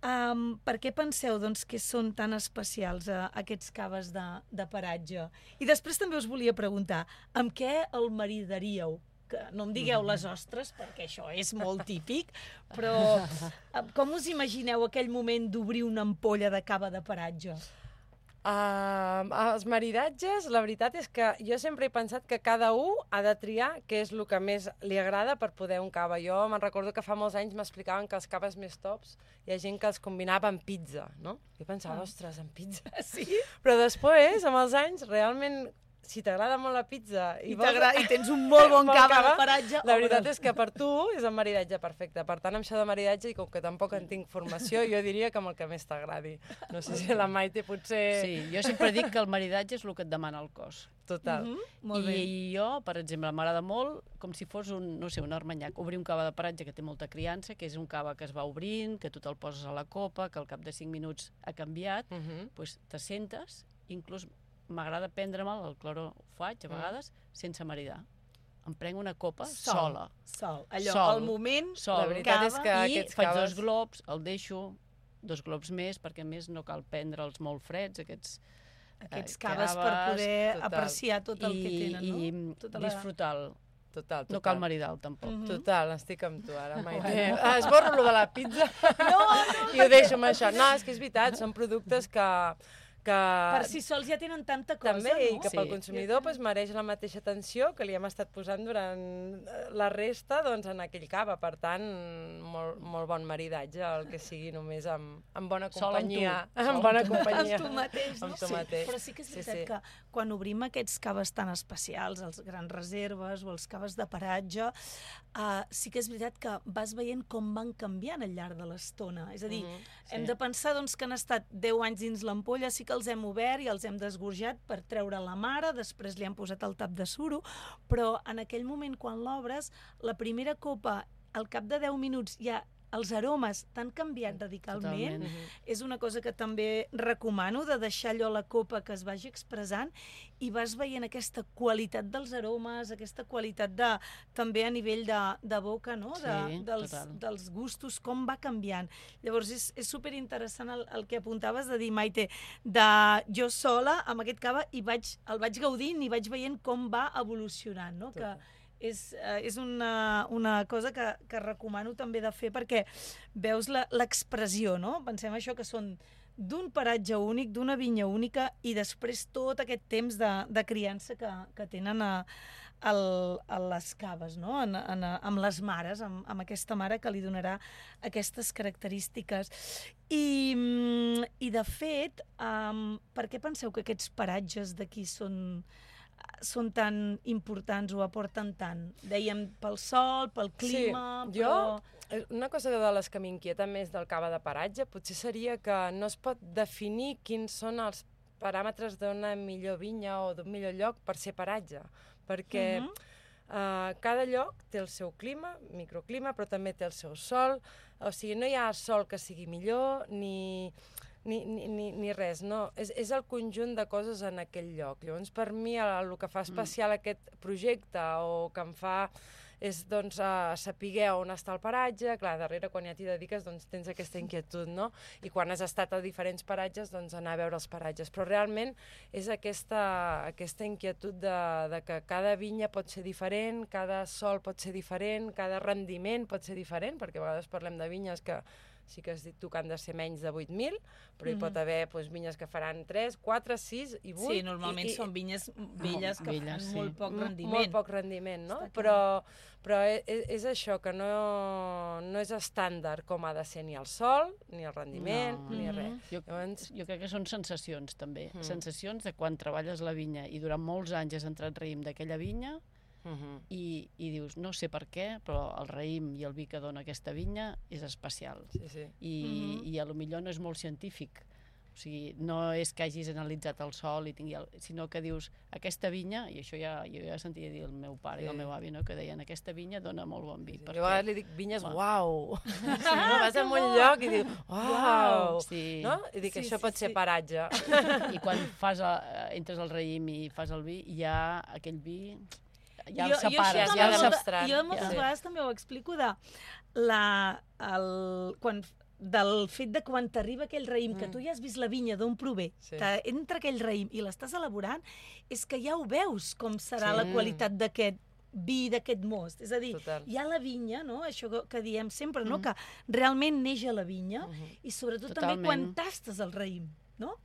Um, per què penseu doncs, que són tan especials uh, aquests caves de, de paratge? I després també us volia preguntar, amb què el maridaríeu? Que no em digueu les ostres, perquè això és molt típic, però uh, com us imagineu aquell moment d'obrir una ampolla de cava de paratge? Uh, els maridatges, la veritat és que jo sempre he pensat que cada un ha de triar què és el que més li agrada per poder un cava. Jo me'n recordo que fa molts anys m'explicaven que els caves més tops hi ha gent que els combinava amb pizza, no? Jo pensava, Ah. ostres, amb pizza. Sí? Però després, amb els anys, realment, si t'agrada molt la pizza i, I, i tens un molt bon Bon cava, cava, de paratge. la veritat obre'l. és que per tu és el maridatge perfecte. Per tant, amb això de maridatge, i com que tampoc en tinc formació, jo diria que amb el que més t'agradi. No sé si la Maite potser... Sí, jo sempre dic que el maridatge és el que et demana el cos. Total. Mhm, molt bé. I jo, per exemple, m'agrada molt com si fos un, no sé, un armanyac, obrir un cava de paratge que té molta criança, que és un cava que es va obrint, que tu te'l poses a la copa, que al cap de cinc minuts ha canviat, Uh -huh. doncs te sentes, inclús m'agrada prendre-me'l, el cloro ho faig a vegades, sense maridar. Em prenc una copa Sol. sola. Sol. Allò, Sol. al moment, Sol. La veritat cava, és que I aquests faig caves... dos globs, el deixo, dos globs més, perquè a més no cal prendre'ls molt freds, aquests aquests eh, caves per poder total. apreciar tot el que i, tenen, no? i Tota la- disfrutar-lo. Total, total. No cal maridar-lo, tampoc. Mhm. Total, estic amb tu ara, Maite. Ah, esborro lo de la pizza No, no, i ho deixo amb això. No, és que és veritat, són productes que... que Per si sols ja tenen tanta cosa, també, no? i que Sí. pel consumidor pues, mereix la mateixa atenció que li hem estat posant durant eh, la resta doncs, en aquell cava. Per tant, molt, molt bon maridatge, el que sigui només amb, amb bona Sol amb tu. companyia. Sol Amb amb bona tu. companyia. Amb tu mateix, no? Amb tu mateix. Però sí que és Sí, veritat sí. que quan obrim aquests caves tan especials, els grans reserves o els caves de paratge, uh, sí que és veritat que vas veient com van canviant al llarg de l'estona. És a dir, Mhm, hem sí. de pensar doncs, que han estat deu anys dins l'ampolla, sí que els hem obert i els hem desgorjat per treure la mare, després li han posat el tap de suro, però en aquell moment, quan l'obres, la primera copa, al cap de deu minuts, ja els aromes t'han canviat radicalment. Totalment. És una cosa que també recomano, de deixar allò a la copa que es vagi expressant, i vas veient aquesta qualitat dels aromes, aquesta qualitat de, també a nivell de, de boca, no? De, Sí, dels, total. dels gustos, com va canviant. Llavors és, és superinteressant el, el que apuntaves de dir, Maite, de jo sola amb aquest cava i vaig, el vaig gaudint i vaig veient com va evolucionant, no? Que és, eh, és una, una cosa que, que recomano també de fer, perquè veus la- l'expressió, no? Pensem això, que són d'un paratge únic, d'una vinya única, i després tot aquest temps de, de criança que, que tenen a, el, a les caves, no? en, en, amb les mares, amb, amb aquesta mare que li donarà aquestes característiques. I, i de fet, um, per què penseu que aquests paratges d'aquí són, són tan importants o aporten tant? Dèiem pel sol, pel clima... Sí, però... jo... Una cosa de les que m'inquieta més del cava de paratge potser seria que no es pot definir quins són els paràmetres d'una millor vinya o d'un millor lloc per ser paratge, perquè uh -huh. uh, cada lloc té el seu clima, microclima, però també té el seu sol, o sigui, no hi ha sol que sigui millor ni, ni, ni, ni, ni res, no? És, és el conjunt de coses en aquell lloc. Llavors, per mi, el, el que fa especial mm. aquest projecte o que em fa és doncs, uh, saber on està el paratge. Clar, darrere, quan ja t'hi dediques, doncs, tens aquesta inquietud, no? I quan has estat a diferents paratges, doncs, anar a veure els paratges. Però realment és aquesta, aquesta inquietud de, de que cada vinya pot ser diferent, cada sol pot ser diferent, cada rendiment pot ser diferent, perquè a vegades parlem de vinyes que sí que has dit tu que han de ser menys de vuit mil, però hi pot haver doncs, vinyes que faran tres, quatre, sis i vuit. Sí, normalment i, i, són vinyes velles que velles, fan sí. molt poc rendiment. Molt poc rendiment, no? Però, però és, és això, que no, no és estàndard com ha de ser ni el sol, ni el rendiment, no. ni res. Jo, Llavors... jo crec que són sensacions, també. Mm. Sensacions de quan treballes la vinya i durant molts anys has entrat raïm d'aquella vinya, Uh-huh. I, i dius, no sé per què, però el raïm i el vi que dona aquesta vinya és especial. Sí, sí. I, uh-huh. i a lo millor no és molt científic. O sigui, no és que hagis analitzat el sol, i tingui el, sinó que dius, aquesta vinya, i això ja, jo ja sentia dir el meu pare sí. i el meu avi, no? Que deien, aquesta vinya dona molt bon vi. Sí, perquè... Jo a vegades li dic vinyes, uau! Sí, no? Vas a un lloc i dius, uau! Sí. No? I dic, sí, això sí, pot sí. ser paratge. I quan fas el, entres al raïm i fas el vi, hi ha aquell vi... ja jo, el separes, jo ja el demostrant. Jo moltes ja. vegades també ho explico de la, el, quan, del fet de quan t'arriba aquell raïm, mm. que tu ja has vist la vinya d'on prové, sí. que entra aquell raïm i l'estàs elaborant, és que ja ho veus com serà sí. la qualitat d'aquest vi, d'aquest most. És a dir, Total. hi ha la vinya, no? Això que, que diem sempre, no? Mm. que realment neix a la vinya, mm-hmm. i sobretot Totalment. també quan tastes el raïm, no?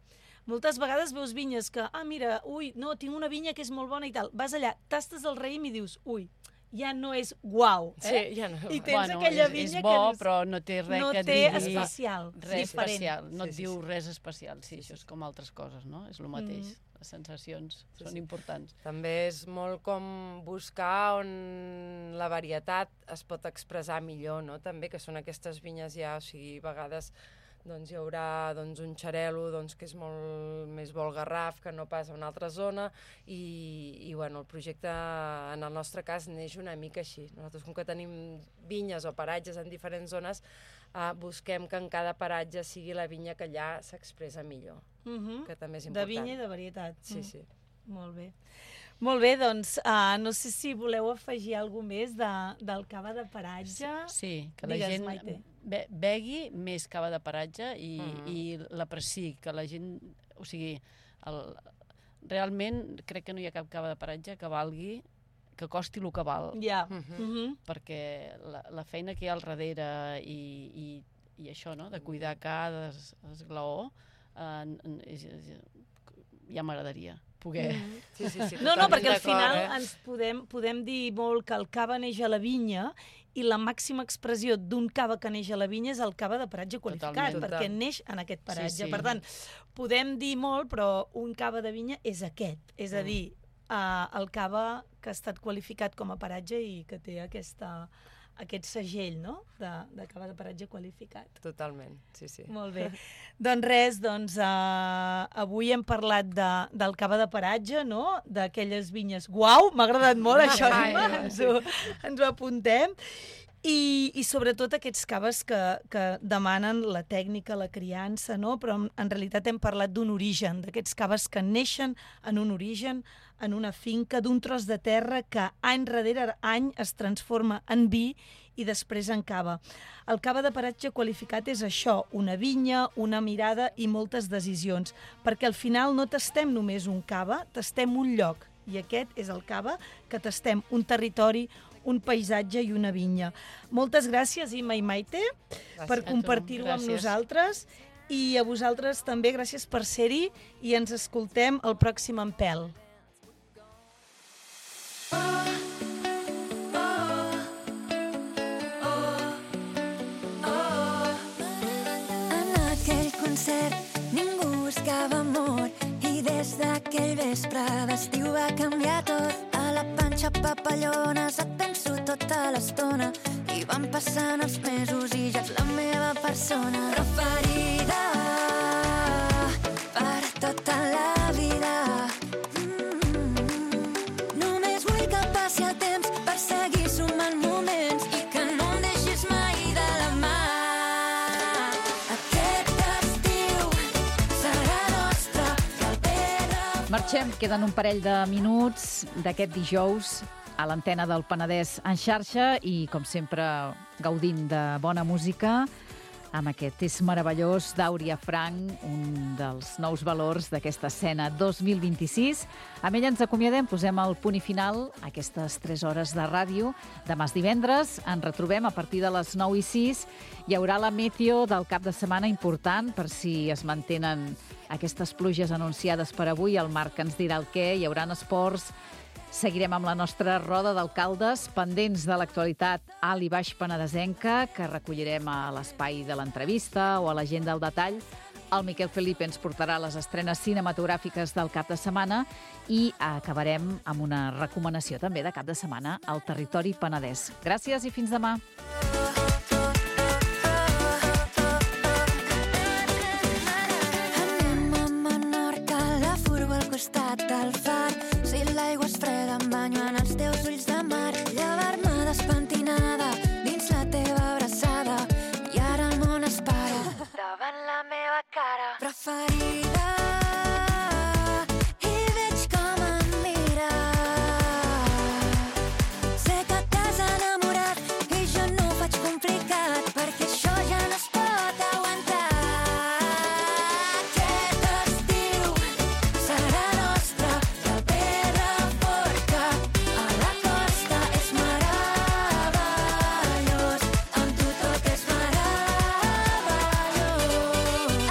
Moltes vegades veus vinyes que, ah, mira, ui, no, tinc una vinya que és molt bona i tal. Vas allà, tastes el raïm i dius, ui, ja no és guau, eh? Sí, ja no. I tens bueno, aquella és, vinya és bo, que dius, però no té res no que té digui... especial, res diferent. especial, no sí, et sí, diu sí. res especial. Sí, això és com altres coses, no? És el mateix. Mm. Les sensacions sí, són sí. importants. També és molt com buscar on la varietat es pot expressar millor, no? També, que són aquestes vinyes ja, o sigui, a vegades... doncs hi haurà doncs, un xarel·lo doncs, que és molt més bo el Garraf que no pas a una altra zona i, i bueno, el projecte en el nostre cas neix una mica així. Nosaltres com que tenim vinyes o paratges en diferents zones eh, busquem que en cada paratge sigui la vinya que allà s'expressa millor, uh-huh. que també és important. De vinya i de varietat. Sí, sí. Molt bé. Molt bé, doncs, uh, no sé si voleu afegir alguna més de, del cava de paratge. Sí, que la Digues, gent Maite. be begui més cava de paratge i, Mm. i l'apreciï, que la gent... O sigui, el, realment crec que no hi ha cap cava de paratge que valgui, que costi el que val. Ja. Mhm. Mhm. Perquè la, la feina que hi ha al darrere i, i, i això, no?, de cuidar cada es, esglaó, eh, és, és, ja m'agradaria poder... Mm. Sí, sí, sí, No, no, totalment perquè al d'acord, final eh? ens podem, podem dir molt que el cava neix a la vinya i la màxima expressió d'un cava que neix a la vinya és el cava de paratge qualificat, Totalment. perquè neix en aquest paratge. Sí, sí. Per tant, podem dir molt, però un cava de vinya és aquest. És a dir, uh, el cava que ha estat qualificat com a paratge i que té aquesta... aquest segell, no?, de, de cava de paratge qualificat. Totalment, sí, sí. Molt bé. Doncs res, doncs, uh, avui hem parlat de, del cava de paratge, no?, d'aquelles vinyes. Uau, m'ha agradat molt això, Ai, Emma, ens, ho, ens ho apuntem. I, i sobretot aquests caves que, que demanen la tècnica, la criança, no? Però en, en realitat hem parlat d'un origen, d'aquests caves que neixen en un origen, en una finca, d'un tros de terra que any darrere any es transforma en vi i després en cava. El cava de paratge qualificat és això, una vinya, una mirada i moltes decisions, perquè al final no tastem només un cava, tastem un lloc, i aquest és el cava que tastem un territori, un paisatge i una vinya. Moltes gràcies, Imma i Maite, gràcies per compartir-ho amb nosaltres, i a vosaltres també gràcies per ser-hi, i ens escoltem el pròxim Empel. aquell vespre d'estiu va canviar tot. A la panxa papallones et penso tota l'estona i van passant els mesos i ja ets la meva persona preferida per tota la vida. Mm-hmm. Només vull que passi el temps per seguir sumant moments i que no em deixis mai de la mà. Aquest estiu serà nostre i el Pedra... Marxem, queden un parell de minuts d'aquest dijous a l'antena del Penedès en xarxa i, com sempre, gaudint de bona música amb aquest És meravellós d'Àuria Frank, un dels nous valors d'aquesta escena dos mil vint-i-sis. Amb ella ens acomiadem, posem el punt i final a aquestes tres hores de ràdio. Demà és divendres, ens retrobem a partir de les nou i sis. Hi haurà la meteo del cap de setmana important per si es mantenen aquestes pluges anunciades per avui. El Marc ens dirà el què, hi haurà esports. Seguirem amb la nostra roda d'alcaldes, pendents de l'actualitat alt i baix penedesenca, que recollirem a l'espai de l'entrevista o a l'agenda al detall. El Miquel Felipe ens portarà les estrenes cinematogràfiques del cap de setmana i acabarem amb una recomanació també de cap de setmana al territori penedès. Gràcies i fins demà. Anem a Menorca, la furgo al costat del far. Si l'aigua és freda em banyo en els teus ulls de mar. Llevar-me despentinada dins la teva abraçada i ara el món es para davant la meva cara preferida i veig com em mires. Sé que t'has enamorat i jo no ho faig complicat perquè això ja no es pot aguantar. Aquest estiu serà nostre i el Pedraforca a la costa és meravellós. Amb tu tot és meravellós.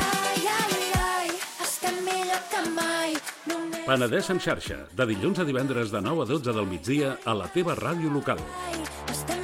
Ai, ai, ai, estem millor que mai. Només Penedès en xarxa, de dilluns a divendres de nou a dotze del migdia a la teva ràdio local. estem